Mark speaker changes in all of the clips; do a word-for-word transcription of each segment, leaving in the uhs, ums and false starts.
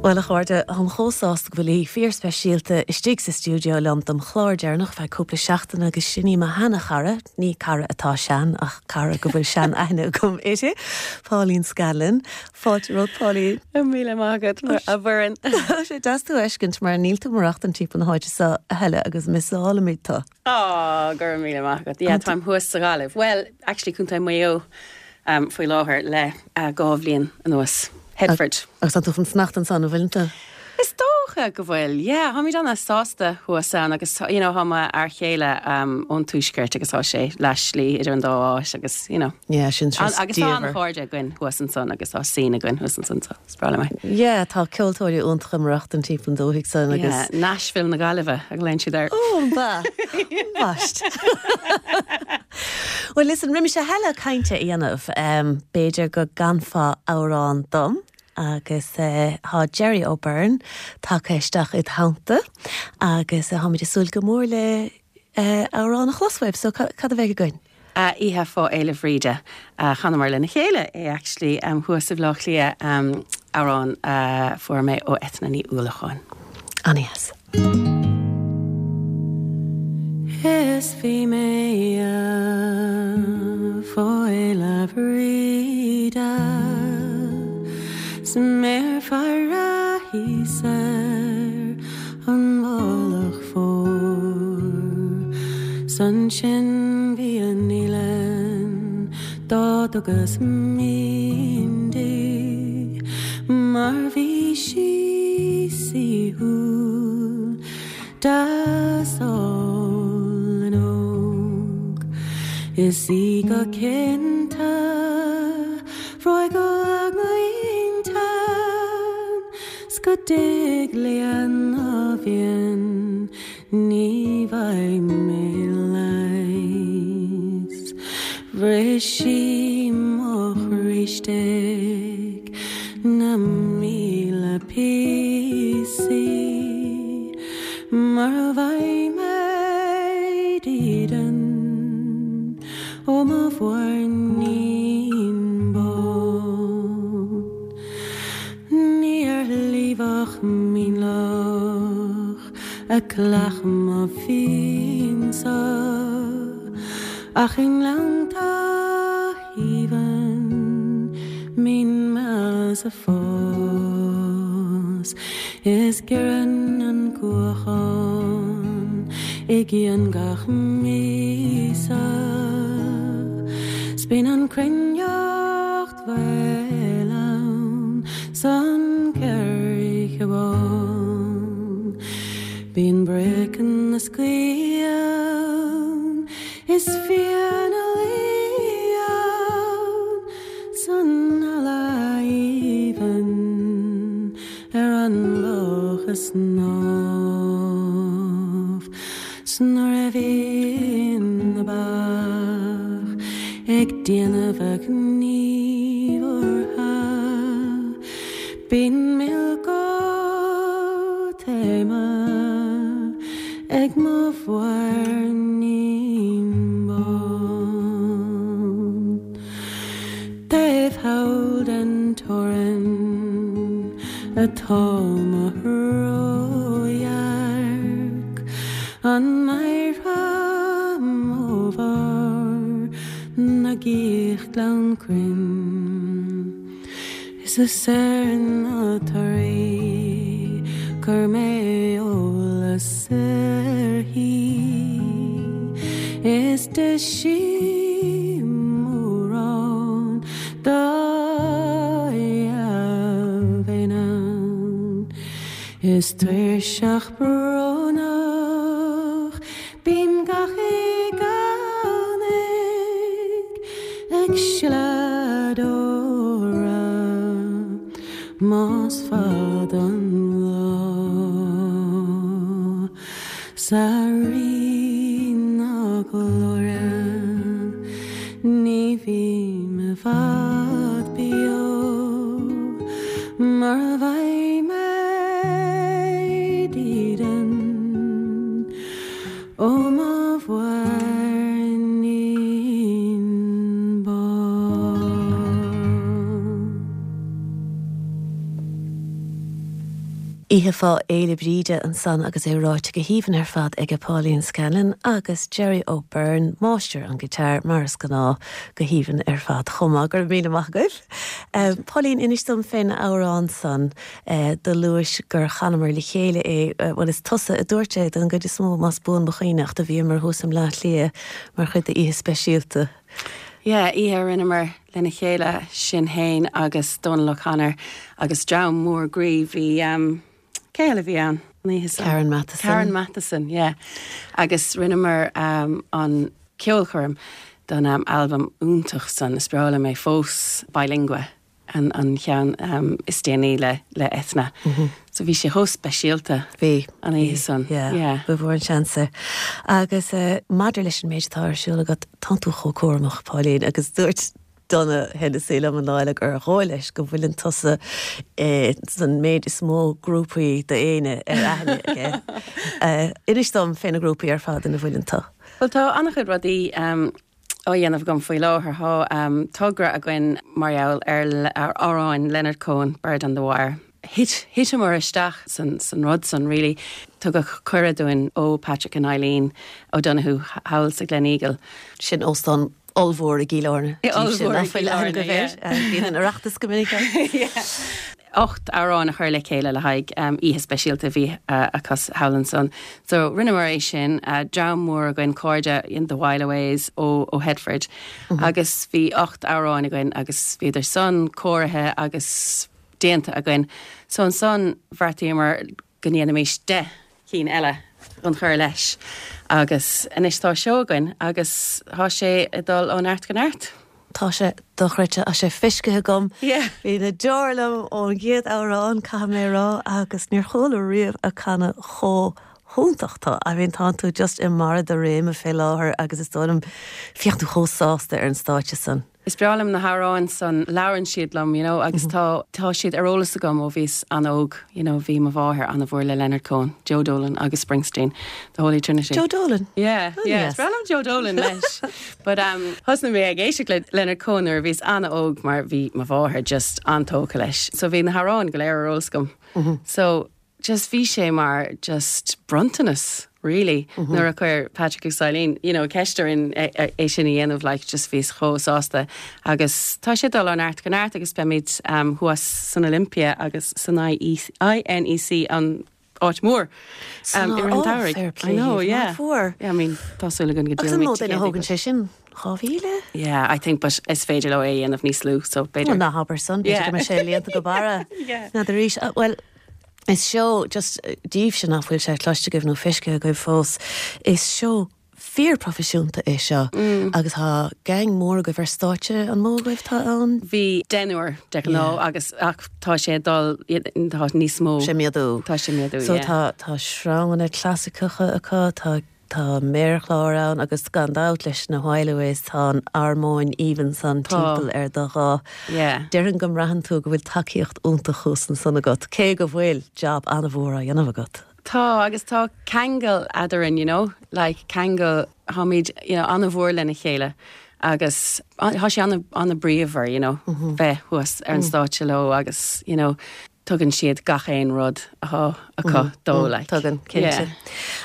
Speaker 1: Well a chairde táim chomh sásta go bhfuil aoi fíorspeisialta istigh sa stiúideo liom dom chlár deireanach feadh cúpla seachtain agus sin í mo sheanchara, ní cara atá sean ach cara go bhfuil sean aithne agam uirthi, Pauline Scanlon, Fáilte romhat Pauline.
Speaker 2: Míle maith agat a Mhuireann.
Speaker 1: Sé deas tú a fheiscint mar níl tú ag maireachtáil timpeall na háite seo a thuilleadh agus missálaimid tú.
Speaker 2: Á go raibh míle maith agat. Yeah, táim thuas sa Ghaillimh. Well, actually Contae Mhaigh Eo um, faoi láthair le uh, dhá bhliain anuas. Headford.
Speaker 1: Agus tá tú chun fanacht ansan an bhfuil tú?
Speaker 2: Is dócha go bhfuil, yeah, Táimid an-sásta thuas ann agus you know, tá m'fhear céile um, ón tuaisceart agus tá sé leathshlí idir an dá áit agus you know.
Speaker 1: Yeah, sin
Speaker 2: An, agus tá an-chairde againn thuas ansan agus tá scene againn thuas ansan so is breá liom é.
Speaker 1: Yeah, tá ceoltóirí iontacha ag maireachtáil timpeall an dúthaigh san agus
Speaker 2: Yeah, Nashville na Gaillimhe a ghlaonn siad air.
Speaker 1: Ó ba Baist. Well listen, roimis a thuilleadh cainte a dhéanamh um, b'fhéidir go gcanfá amhrán dom agus uh, tá Jerry O'Byrne tagtha isteach i dteannta agus uh, táimid ag súil go mór le uh, amhrán a chlos uaibh, so cad a bheidh againn?
Speaker 2: Uh, Oíche fá Fhéile Bhríde uh, chanamar lena chéile é actually um, thuas i Bleá Cliath um, amhrán uh, fuair mé ó Eithne Ní Uallacháin.
Speaker 1: An-deas.
Speaker 2: Is bhí mé fá Fhéile Bhríde 's mé ag faire thíos ar an Mhullach Mhór. 'S ansin bhí an fhaoileann dá dtugas mionn di, mar bhí sí saoithiúil deas álainn óg. Is í go cinnte bhreoigh go lag m'intinn, 's go dtig léi a mhian ní bhfaighidh mé leigheas. Bhris sí mo chroí istigh 'na míle píosaí, mar a bhfaighidh mé dídean ó mo mhuirnín bán. Ní ar shliabh mínloch a cleacht mo mhian-sa, ach i ngleannta aoibhinn mín measa fós. Is giorrann an cuachán i gcionn gach míosa, 's bíonn an chruithneacht mhaol ann 's an coirce bán. Bíonn broic na sgaoth ann, is fia 'na luí ann, 's an eala aoibhinn ar an loch ag snámh. 'S nuair a bhíonn na ba ag déanamh a ngníomhartha, bíonn mil go taoma ag mo mhuirnín bán. Taobh thall den teorainn atá mo radharc, an mhéara ó bharr na gcíoch glan cruinn. Is is ar na torthaí chuir mé eolas uirthi, is d'ith sí mórán dá dheilbh in ann. Is tuirseach brónach bím gach Domhnach ag sileadh deora más fada an lá. 'S a Rí na glóire ní bhím i bhfad beo, mar a bhfaighidh mé dídean ó mo mhuirnín bán.
Speaker 1: Oíche fá Fhéile Bríde ansan agus é ráite go haoibhinn ar fad ag Pauline Scanlon agus Jerry O'Byrne, máistir an guitar mar is gnáth go haoibhinn ar fad chomh maith go raibh míle maith agaibh. Um, Pauline inis dom fén amhrán san uh, do luais gur chanamar le chéile é uh, bhuel is tusa a dúirt é don gcuid is mó más buan mo chuimhne a bhí mar thuas i mBleá Cliath mar chuid d'oíche speisialta.
Speaker 2: Yeah, oíche a rinneamar lena chéile sin féin agus Donal O'Connor agus dream mór groí bhí um, cé eile bhí ann
Speaker 1: Karen Matheson.
Speaker 2: Karen Matheson, yeah. Agus rinneamar um, an ceolchoirm don um, album iontach san is breá liom é fós Bilingua an an ceann um, is déanaí le le Eithne. Mm -hmm. So bhí sé chomh speisialta
Speaker 1: Bhí
Speaker 2: an oíche san.
Speaker 1: Yeah, Ba mhór an seans é. Agus uh, maidir leis an méid atá ar siúl agat tá tú chomh cúramach Pauline agus dúirt Donna Hennessy liom an lá eile gur dhóigh leis go bhfuileann tusa eh, san méid is mó grúpaí d'aoine ar aithne aige. Uh, Inis dom fé na grúpaí ar fad ina bhfuileann tú.
Speaker 2: Well tá an-chuid rudaí um, á dhéanamh agam faoi láthair tá um, togra againn mar gheall ar ar amhrán Leonard Cohen Bird on the Wire. Thit thiteamar isteach san, san rud san really tugadh cuireadh dúinn ó Patrick and Eileen O'Donoghue thall sa Gleneagle.
Speaker 1: Sin óstán ollmhór i gCill Airne. Bhíonn an Oireachtas go minic.
Speaker 2: Ocht amhrán a chur le chéile le haghaidh um, oíche speisialta bhí uh, acu thall ansan. So rinneamar é sin uh, dream mór againn cairde in the Whileaways ó, ó Headford. Mm -hmm. agus bhí ocht amhrán againn agus bhíodar san cóirithe agus déanta againn. So ansan bheartaíomar go ndéanfaimis deich cinn eile an chur leis. Agus anois tá seo againn agus tá sé ag dul ó neart go neart.
Speaker 1: Tá sé dochreidte tá sé feicthe agam.
Speaker 2: Bhí
Speaker 1: na deora liom ón gcéad amhrán caithfidh mé rá agus níor chuala riamh ag canadh chomh hiontach tá I mean tá tú just i mbarr do réime fé láthair agus is dóigh liom féach tú chomh sásta ar an stáitse san.
Speaker 2: Is breá liom na hamhráin san labhrann siad liom, you know, agus mm -hmm. tá tá siad ar eolas agam ó bhíos an-óg, you know, bhí mo mháthair an-mhór le Leonard Cohen, Joe Dolan agus Springsteen, the Holy Trinity.
Speaker 1: Joe Dolan?
Speaker 2: Yeah, oh, yeah. Yes. Breá liom Joe Dolan leis. But um, thosnaigh mé ag éisteacht le Leonard Cohen nuair a bhíos an-óg mar bhí mo mháthair just an-tógtha leis. So bhí na hamhráin go léir ar eolas agam. Mm -hmm. So just bhí sé mar just bronntanas really mm -hmm. nuair a chuir Patrick agus Eileen you know ceist orainn é sin a dhéanamh like just bhíos chomh sásta agus tá sé dul ó neart go neart agus beimid um, thuas san Olympia agus san I N E C an áit mór
Speaker 1: um,
Speaker 2: I know yeah
Speaker 1: fuair
Speaker 2: yeah, I mean tásúla
Speaker 1: go go thógann sé sin dhá mhíle?
Speaker 2: Yeah, I think but is féidir leo é dhéanamh níos lú so
Speaker 1: b'fhéidir ná habair san go sé líonta go barra na arís well is seó just daoibh sin nach bhfuil sé cloiste agaibh nó feicthe agaibh fós is seó fíorphroifisiúnta é seo mm. agus tá gang mór agaibh ar stáitse an mó agaibh tá ann?
Speaker 2: Bhí deichniúr de ghnáth agus ach tá sé dul tá níos mó.
Speaker 1: Sé méadú.
Speaker 2: Tá sé méadú.
Speaker 1: So tá tá sraitheanna clasaiceacha acu tá tá méarchlár ann agus gan dabht leis na Whileaways tá an armóin aoibhinn san timpeall ar do dhá. Déarfainn go mbraitheann tú go bhfuil tacaíocht iontach thuas ansan agat, cé go bhfuil job an-mhór á dhéanamh agat.
Speaker 2: Tá agus tá ceangal eadrainn, you know, like ceangal táimid you know, an-mhór lena chéile. Agus tá sé an-bhríomhar, you know, mm -hmm. bheith thuas ar an mm. stáitse leo agus you know, tugann siad gach aon rud atá acu mm, dó
Speaker 1: mm, tugann cinnte.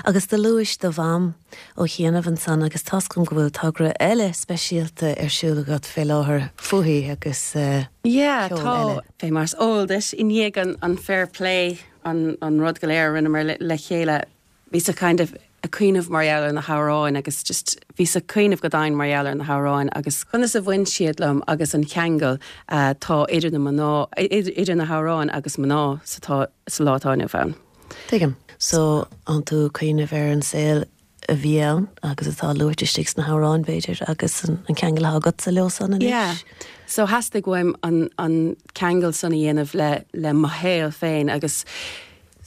Speaker 1: Agus do luais do mham ó chianaibh ansan agus tá 's agam go bhfuil togra eile speisialta ar siúl agat fé láthair fúithi agus uh,
Speaker 2: yeah, tá fé mar is eol duit i ndiaidh an, an fair play an, an rud go léir rinneamar le, le chéile bhíos kind of ag cuimhneamh mar gheall ar na hamhráin agus just bhíos ag cuimhneamh go domhain mar gheall ar na hamhráin agus conas a bhain siad liom agus an ceangal uh, tá idir na mná idir na hamhráin agus mná sa tá sa lá atá inniu ann.
Speaker 1: Tuigim. So an tú ag cuimhneamh ar an saol a bhí ann agus atá luaite istigh sna hamhráin b'fhéidir agus an, an ceangal agatsa leo san anois.
Speaker 2: Yeah. So theastaigh uaim an, an ceangal san a dhéanamh le, le mo shaol féin agus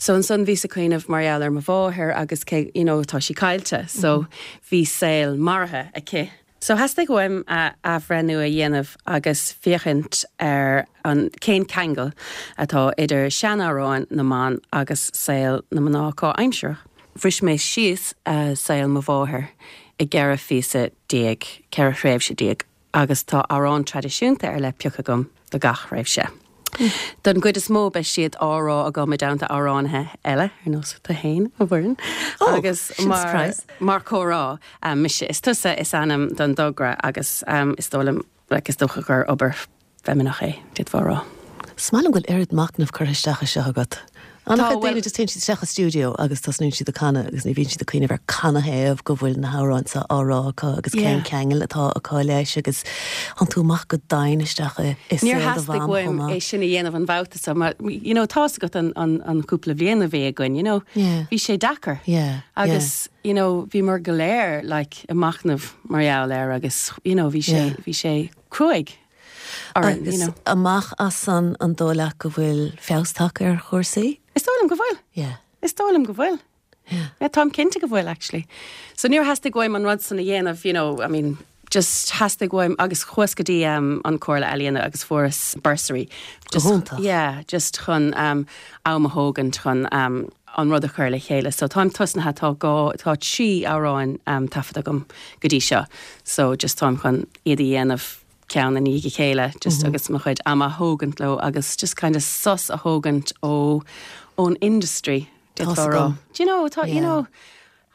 Speaker 2: So ansan bhíos ag cuimhneamh mar gheall ar mo mháthair agus cé you know, tá sí caillte, so mm -hmm. bhí saol maraithe aici. So theastaigh uaim athbhreithniú a dhéanamh agus féachaint ar an cén ceangal atá idir seanamhráin na mban agus saol na mná comhaimseartha. Bhris mé síos uh, saol mo mháthar i gceithre phíosa déag ceithre thréimhse déag agus tá amhrán traidisiúnta ar leith pioctha agam do gach tréimhse. Don gcuid is mó beidh siad á rá agam i dteannta amhránaithe eile ar nós tú féin a Mhuireann
Speaker 1: Oh,
Speaker 2: agus
Speaker 1: sin
Speaker 2: mar
Speaker 1: surprise.
Speaker 2: mar comhrá um, mise is tusa is ainm don togra agus um, is dóigh liom like, is dócha gur obair feimineach é d'fhéadfá rá.
Speaker 1: Is maith liom go bhfuil oiread machnamh curtha isteach i seo agat. An
Speaker 2: Tá,
Speaker 1: daoine
Speaker 2: well-
Speaker 1: just téann siad isteach i stiúideo agus tosnaíonn siad ag canadh agus ní bhíonn siad ag cuimhneamh ar canathaobh go bhfuil na hamhráin seo á rá acu agus
Speaker 2: Yeah.
Speaker 1: cén ceangal atá acu leis agus théann tú amach go domhain isteach i i
Speaker 2: Níor
Speaker 1: saol do
Speaker 2: theastaigh
Speaker 1: mham
Speaker 2: uaim
Speaker 1: chomh maith.
Speaker 2: é sin a dhéanamh an babhta seo mar you know, tá's agat an, an, an cúpla bliain a bhí againn, you know,
Speaker 1: Yeah.
Speaker 2: bhí sé deacair.
Speaker 1: Yeah,
Speaker 2: Agus you know, bhí mar go léir like, ag machnamh mar gheall air agus you know, bhí sé
Speaker 1: Yeah.
Speaker 2: bhí sé cruaidh. orainn,
Speaker 1: Agus
Speaker 2: you know.
Speaker 1: amach as an an dóigh leat go bhfuil feabhas tagtha ar chúrsaí?
Speaker 2: Is dóigh liom go bhfuil.
Speaker 1: Yeah.
Speaker 2: Is dóigh liom go bhfuil.
Speaker 1: Yeah.
Speaker 2: Yeah, táim cinnte go bhfuil actually. So níor theastaigh uaim an rud san a dhéanamh, you know, I mean, just theastaigh uaim agus chuas go dtí um, an Chomhairle Ealaíon agus fuaireas bursary. Just,
Speaker 1: hiontach.
Speaker 2: Yeah, just chun um, am a thógaint chun um, an rud a chur le chéile. So táim tosnaithe tá go tá trí amhrán um, taifeadta agam go dtí seo. So just táim chun iad a dhéanamh ceann i ndiaidh a chéile, just mm -hmm. agus mo chuid am a thógaint leo agus just kind of sos a thógaint ó ón industry.
Speaker 1: Tá's
Speaker 2: d'fhéadfá rá.
Speaker 1: agam.
Speaker 2: Do you know, tá, you
Speaker 1: Yeah.
Speaker 2: know,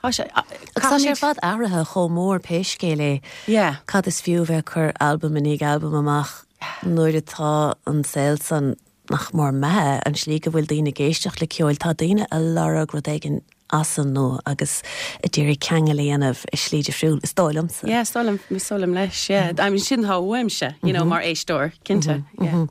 Speaker 2: tá sé-
Speaker 1: Agus tá sé ar fad athraithe chomh mór pé scéal é.
Speaker 2: Yeah.
Speaker 1: Cad is fiú bheith cur albam i ndiaidh albam amach nuair atá an saol san nach mór imithe an slí go bhfuil daoine ag éisteacht le ceol tá daoine ag lorg rud éigin as an nua agus ag iarraidh ceangal a dhéanamh i slí difriúil is dóigh liomsa.
Speaker 2: Yeah, is dóigh liom is dóigh liom leis, yeah. I mean, sin atá uaimse, you know, mar éisteoir, cinnte. Yeah.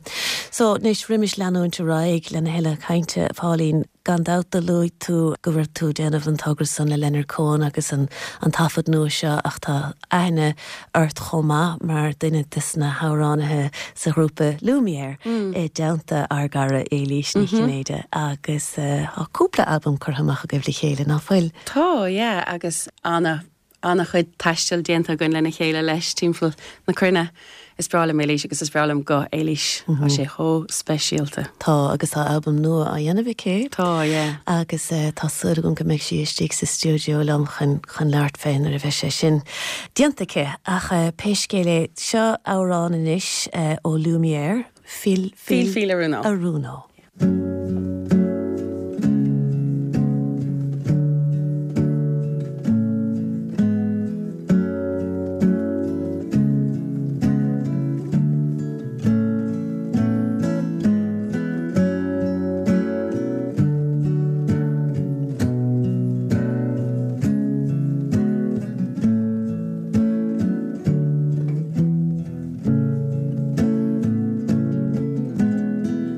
Speaker 1: So anois roimis leanúint ar aghaidh lena thuilleadh cainte Pauline gan dabht do luaigh tú go bhfuil tú déanamh an togra san le Leonard Cohen agus an, an taifead nua seo ach tá aithne ort chomh maith mar duine des na hamhránaithe sa ghrúpa Lumière mm. i dteannta ár gcara Éilís Ní Chinnéide agus uh, tá cúpla albam curtha amach agaibh le chéile nach bhfuil.
Speaker 2: Tá, yeah, agus ana ana chuid taistil déanta againn lena chéile leis timpeall na cruinne. Is breá liom Éilís agus is breá liom guth Éilís Tá sé chomh speisialta.
Speaker 1: Tá agus tá albam nua á dhéanamh aici.
Speaker 2: Tá, yeah.
Speaker 1: agus uh, tá súil agam go mbeidh sí istigh sa stiúideo liom chun chun labhairt fé nuair a bheidh sé sin. Déanta aici ach uh, pé scéal é seo amhrán anois uh, ó Lumière Fil
Speaker 2: Fil Fil Aruno.
Speaker 1: Aruno.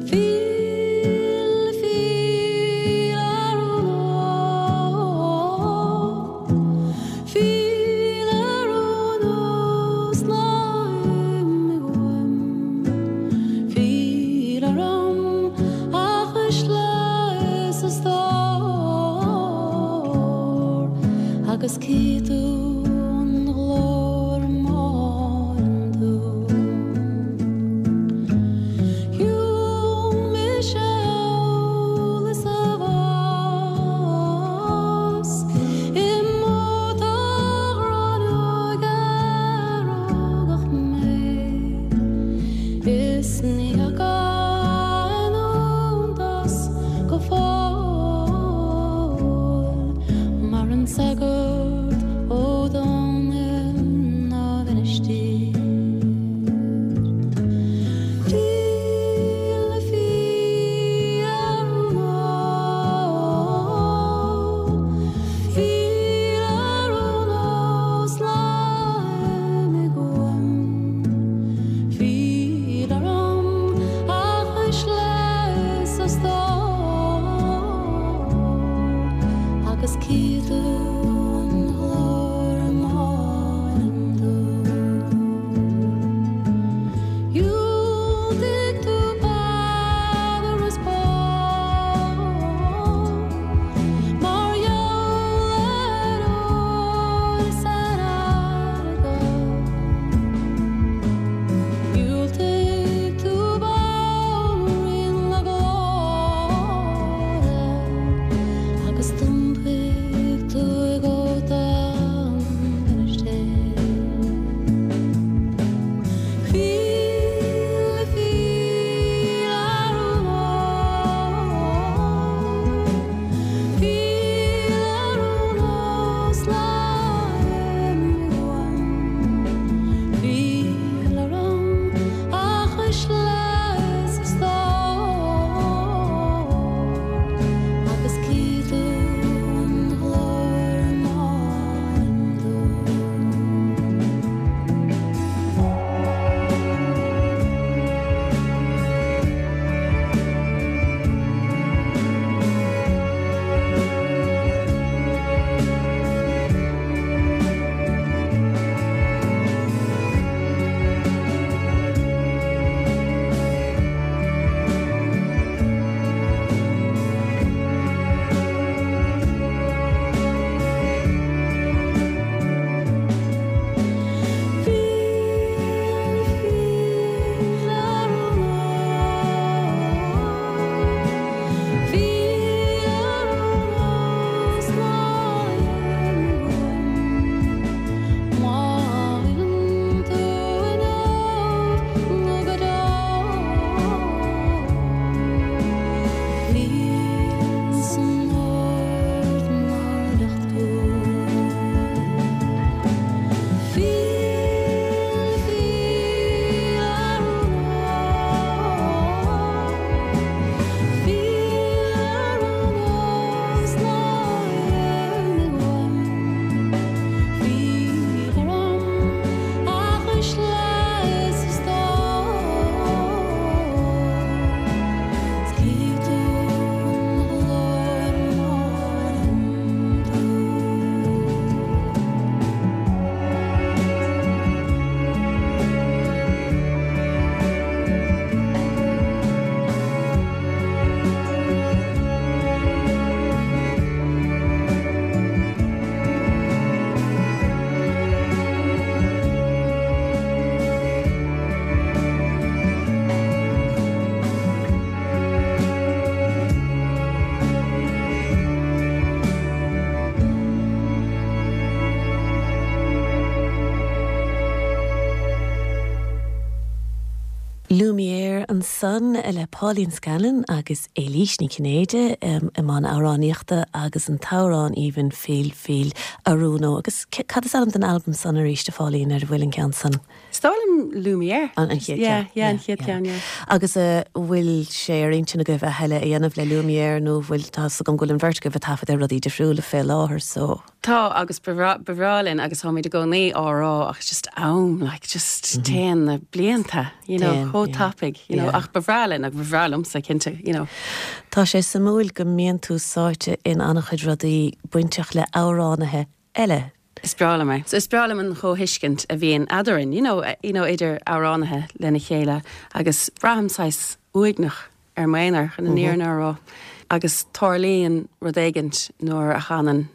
Speaker 3: Fil
Speaker 1: Lumiere ansan le Pauline Scanlon agus Éilís Ní Chinnéide um, i mbun amhránaíochta agus an t-amhrán aoibhinn Feel Feel Aruno agus cad is ainm den album san arís a Pháilín ar bhfuil an ceann san.
Speaker 2: Is dóigh liom Lumiere.
Speaker 1: An an chéad
Speaker 2: Yeah, yeah, an chéad ceann, yeah.
Speaker 1: Agus uh, bhfuil sé ar intinn agaibh a thuilleadh a dhéanamh le Lumiere nó bhfuil tá gom bhfuil an bheirt agaibh ag taifead ar rudaí difriúla fé láthair so.
Speaker 2: Tá agus ba bhreá linn agus táimid i gcónaí á rá ach just am like just téann na blianta you know chomh tapaidh you know ach ba bhreá linn ach ba bhreá liomsa cinnte you know.
Speaker 1: Tá sé suimiúil go mbíonn tú sáite in an-chuid rudaí bainteach le amhránaithe eile.
Speaker 2: Is breá liom é. So is breá liom an chomhthuiscint a bhíonn eadrainn, you know, you know, idir amhránaithe lena chéile agus braithim saghas uaigneach ar m'aonar chun an fhírinne a rá. Agus tarlaíonn rud éigint nuair a chanann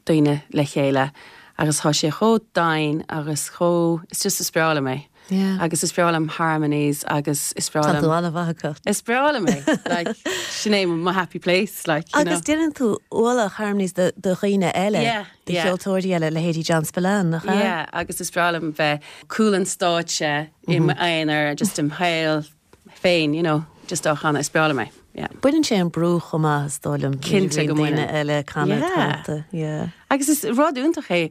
Speaker 2: daoine le chéile agus tá sé chomh domhain agus chomh is just is breá liom é.
Speaker 1: Yeah.
Speaker 2: Agus is breá liom harmonies agus is breá liom
Speaker 1: an-mhaith
Speaker 2: Is breá liom é like sin é my happy place like you
Speaker 1: Agus déanann tú ualach harmonies do dhaoine eile
Speaker 2: Yeah,
Speaker 1: de
Speaker 2: yeah.
Speaker 1: cheoltóirí eile leithéidí John Spillane nach ea?
Speaker 2: Yeah, agus is breá liom bheith cúl an stáitse i m'aonar just im shaol féin, you know, just á chanadh is breá liom é. Yeah.
Speaker 1: Baineann sé an brú chomh maith is dóigh liom
Speaker 2: Cinnte go
Speaker 1: daoine
Speaker 2: mbaineann.
Speaker 1: eile canadh
Speaker 2: Yeah.
Speaker 1: tanta. Yeah.
Speaker 2: Agus is rud iontach é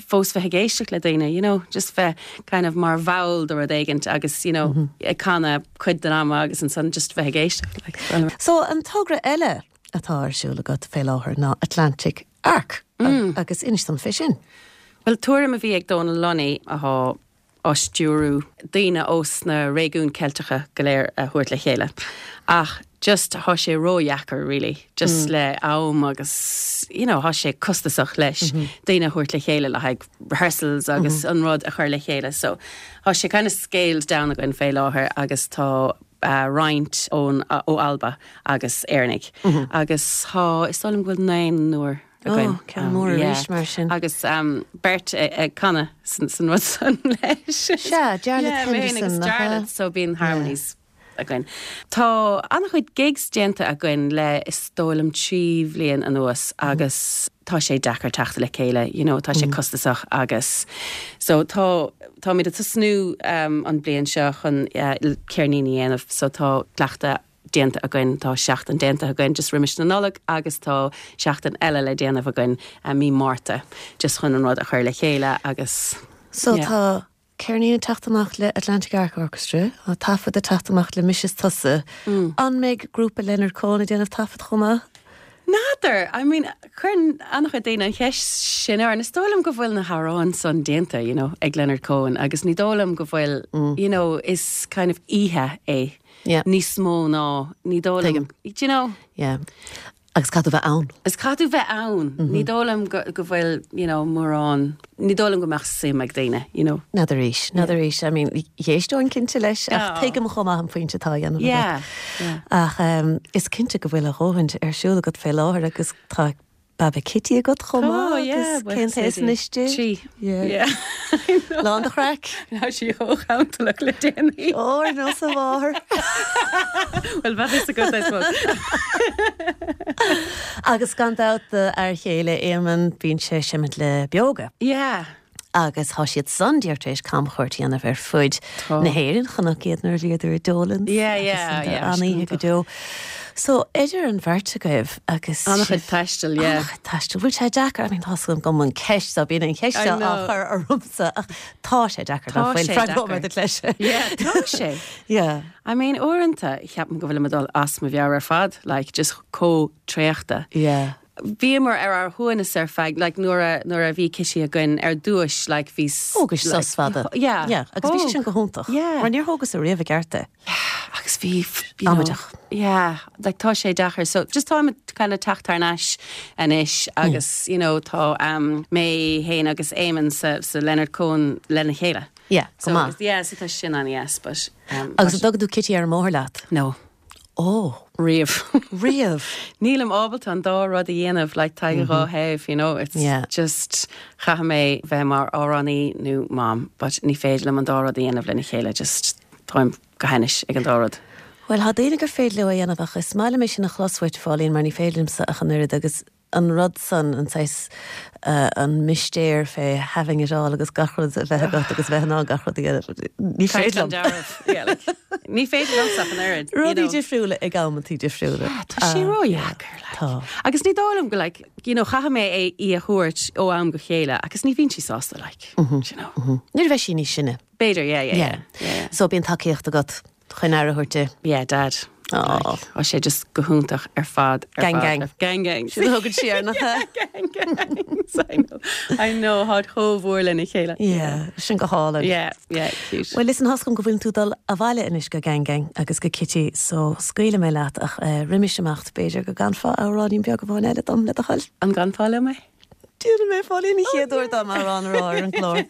Speaker 2: fós bheith ag éisteacht le daoine, you know, just bheith kind of mar bhall de rud éigint agus you know, mm -hmm. ag canadh cuid den ama agus ansan just bheith ag éisteacht. Like, well,
Speaker 1: So an togra eile atá ar siúl agat fé láthair ná Atlantic Arc mm. agus inis dom fé sin.
Speaker 2: Well tuairim a bhí ag Donal Lunny athá á stiúrú daoine ós na réigiúin Ceilteacha go léir a thabhairt le chéile. Ach just tá sé ródheacair really, just mm. le am agus you know, tá sé costasach leis mm -hmm. daoine a thabhairt le chéile le haghaidh rehearsals agus mm -hmm. an rud a chur le chéile. So tá sé kind of scaled down againn fé láthair agus tá uh, roinnt ón uh, ó Alba agus Éireannaigh. Mm -hmm. Agus tá is dóigh liom go bhfuil naonúr againn.
Speaker 1: Oh, ceann mór arís mar sin.
Speaker 2: Agus um, beirt ag canadh san, san rud san leis.
Speaker 1: Sea, Jarlath
Speaker 2: yeah, mé féin agus
Speaker 1: Henderson, nach ea?
Speaker 2: Jarlath, so bíonn harmonies againn. Tá an-chuid gigs déanta againn le is dóigh liom trí bhliain anuas agus tá sé deacair teacht le chéile, you know, tá sé costasach agus so tá táimid ag tosnú um, an bliain seo chun uh, ceirnín a dhéanamh, so tá cleachtadh déanta againn tá seachtain déanta againn just roimis na Nollag agus tá seachtain eile le déanamh againn uh, mí Márta just chun an rud a chur le chéile agus
Speaker 1: So
Speaker 2: Yeah.
Speaker 1: tá ceirnín teacht amach le Atlantic Arc Orchestra, tá taifead ag teacht amach le Mise is Tusa. Mm. An mbeidh grúpa Leonard Cohen ag déanamh taifead chomh maith?
Speaker 2: N'fheadar I mean chuir an-chuid daoine an cheist sin ar is dóigh liom go bhfuil na hamhráin san déanta you know, ag Leonard Cohen agus ní dóigh liom go bhfuil mm. you know, is kind of oíche é
Speaker 1: Yeah.
Speaker 2: níos mó ná ní dóigh liom do you know
Speaker 1: Yeah. Agus caithfidh tú bheith ann.
Speaker 2: Is caithfidh tú bheith ann ní dóigh liom go go bhfuil you know, mórán ní dóigh liom go mbeadh suim ag daoine you know.
Speaker 1: N'fheadar arís, n'fheadar arís, I mean, d'éisteoinn cinnte leis ach
Speaker 2: Oh.
Speaker 1: tuigim chomh maith an pointe atá dhéanamh.
Speaker 2: Yeah, yeah.
Speaker 1: Ach um, is cinnte go bhfuil a dhóthain ar siúl agat fé láthair agus tá Baba Kitty agat chomh
Speaker 2: Oh,
Speaker 1: maith agus cén t-aois anois di?
Speaker 2: Trí.
Speaker 1: Yeah.
Speaker 2: Yeah.
Speaker 1: Lán de chraic.
Speaker 2: Tá sí chomh cantalach le déanaí.
Speaker 1: Ó nó sa mháthair.
Speaker 2: Well bheith a go I suppose.
Speaker 1: Agus gan dabht ar chéile Éamonn bíonn sé seimint le Beoga.
Speaker 2: Yeah.
Speaker 1: Agus tá siad san díreach tar éis camchuairt a dhéanamh ar fud
Speaker 2: Tá.
Speaker 1: na hÉireann chonac iad nuair a bhíodar i Dolan's.
Speaker 2: Yeah, yeah, yeah,
Speaker 1: An-oíche go deo. So idir an bheirt agaibh agus
Speaker 2: An-chuid taistil, yeah.
Speaker 1: An-chuid taistil. Bhfuil sé deacair, I mean, tá gom an ceist a bíonn an cheist
Speaker 2: I
Speaker 1: á
Speaker 2: know.
Speaker 1: chur ormsa ach tá sé deacair
Speaker 2: Tá
Speaker 1: fuil
Speaker 2: sé
Speaker 1: freagróidh
Speaker 2: deacair.
Speaker 1: leis.
Speaker 2: Yeah, tá sé.
Speaker 1: Yeah.
Speaker 2: I mean uaireanta ceapaim go bhfuil mé ag dul as mo mheabhair ar fad, like just chomh traochta.
Speaker 1: Yeah.
Speaker 2: Bhíomar ar ár shuaimhneas ar feadh, like nuair a nuair a bhí Kitty againn ar dtús, like bhí
Speaker 1: Thógais sos fada.
Speaker 2: Yeah.
Speaker 1: Yeah, agus bhí sé
Speaker 2: Thóg.
Speaker 1: sin go hiontach.
Speaker 2: Yeah.
Speaker 1: Mar níor thógas ariamh i gceart é.
Speaker 2: agus bhí you know,
Speaker 1: Amaideach.
Speaker 2: Yeah, like tá sé deacair. So just táim kind of teacht thar n-ais anois agus you know tá um, mé féin agus Éamonn sa, sa Leonard Cohen lena chéile.
Speaker 1: Yeah, go
Speaker 2: So
Speaker 1: maith.
Speaker 2: yeah, so tá sin an yes, but um,
Speaker 1: Agus an dtugann tú Kitty ar an mbóthar leat.
Speaker 2: no,
Speaker 1: Ó,
Speaker 2: riamh.
Speaker 1: riamh.
Speaker 2: Nílim ábalta an dá rud a dhéanamh like tá dhá thaobh, you know, it's
Speaker 1: Yeah.
Speaker 2: just caithfidh mé bheith mar amhránaí nó mam, but ní féidir liom an dá rud a dhéanamh lena chéile, just táim go hainnis ag an dá rud.
Speaker 1: Well, tá daoine gur féidir leo a dhéanamh ach is maith liom é sin a chlos uait Phauline mar ní féidir liomsa ach an oiread agus an rud san an saghas uh, an mistéir fé having it all agus gach rud a bheith agat agus bheith ná gach rud a dhéanamh. Ní féidir liom.
Speaker 2: Ní féidir liomsa an oiread. you
Speaker 1: Rudaí
Speaker 2: know.
Speaker 1: difriúla ag amantaí difriúla.
Speaker 2: Tá sé ródheacair like.
Speaker 1: Tá.
Speaker 2: Agus ní dóigh liom go like, you know, chaithfidh mé é í a thabhairt ó am go chéile, agus ní bhíonn sí sásta like, you know.
Speaker 1: Nuair a bheidh sí níos sine.
Speaker 2: B'fhéidir, yeah, yeah, yeah. yeah.
Speaker 1: So bíonn tacaíocht agat chun aire a thabhairt di.
Speaker 2: Yeah, dad.
Speaker 1: Aw.
Speaker 2: Like, Tá sé just go hiontach ar fad. ar
Speaker 1: Gang,
Speaker 2: fad,
Speaker 1: gang.
Speaker 2: ar- Gang gang.
Speaker 1: Sin thugad sí ar nach
Speaker 2: gang gangs. I know. I know how chomh mór lena chéile.
Speaker 1: Yeah, sin go hálainn.
Speaker 2: Yeah, yeah, cute.
Speaker 1: Well listen tá a fhios agam go bhfuil tú dul abhaile anois go gang gang agus go Kitty so scaoilfidh mé leat ach uh, roimis imeacht b'fhéidir go gcanfá amhráinín beag amháin eile dom le do thoil.
Speaker 2: An gcanfá liom é?
Speaker 1: Dúna mé fáí ní chéadúir dom amhrán a rá ar an gclár.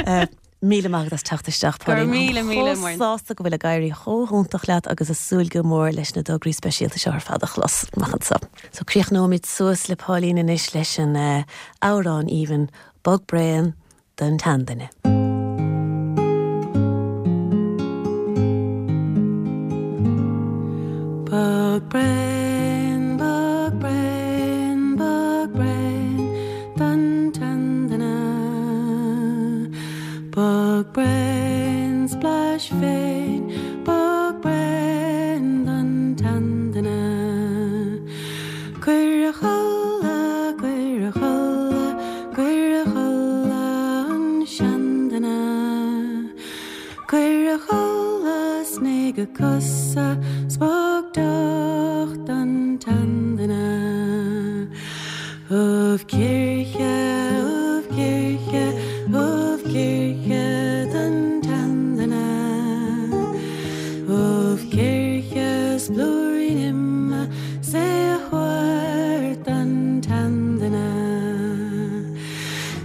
Speaker 1: Uh, Míle maith as teacht isteach
Speaker 2: Go raibh míle, míle, Muireann.
Speaker 1: Sásta go bhfuil ag éirí chomh hiontach leat agus ag súil go mór leis na tograí speisialta seo ar fad a chlos amach anseo. So críochnóimid suas le Pauline anois leis an uh, amhrán aoibhinn Bog Braon don tseanduine.
Speaker 2: Bog braon, bog braon, bog braon, don tseanduine. Bog braon, splash féin, bog braon don tseanduine. Cuir a chodladh, cuir a chodladh, cuir a chodladh an seanduine. Cuir a chodladh 's nigh a chosa 's bog deoch don tseanduine. Ubh cíche, ubh cíche, ubh cíche don tseanduine. Ubh cíche 's blúirín ime 's é a thabhairt don tseanduine.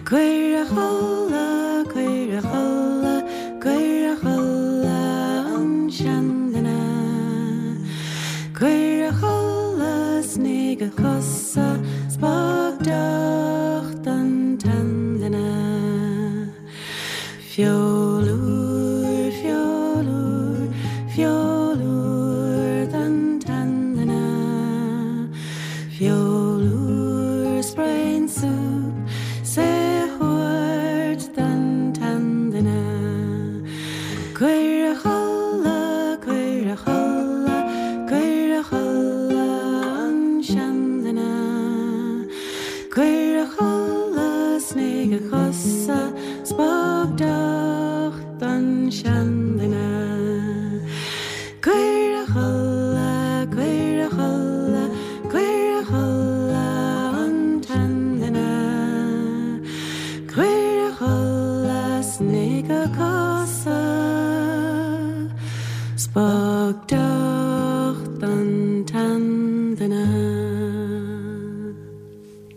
Speaker 2: Cuir a chodladh, cuir a chodladh, cuir a chodladh an seanduine. Cuir a chodladh 's nigh a chosa 's bog deoch don tseanduine. Feoil úr, feoil úr, feoil úr don tseanduine. Feoil úr 's braon súp 's é a thabhairt don tseanduine. Cuir a chodladh, cuir a chodladh, cuir a chodladh an seanduine. Cuir a chodladh 's nigh a chosa 's bog deoch don seanduine. Cuir a chodladh, cuir a chodladh, cuir a chodladh an tseanduine. Cuir a chodladh 's nigh a chosa 's bog deoch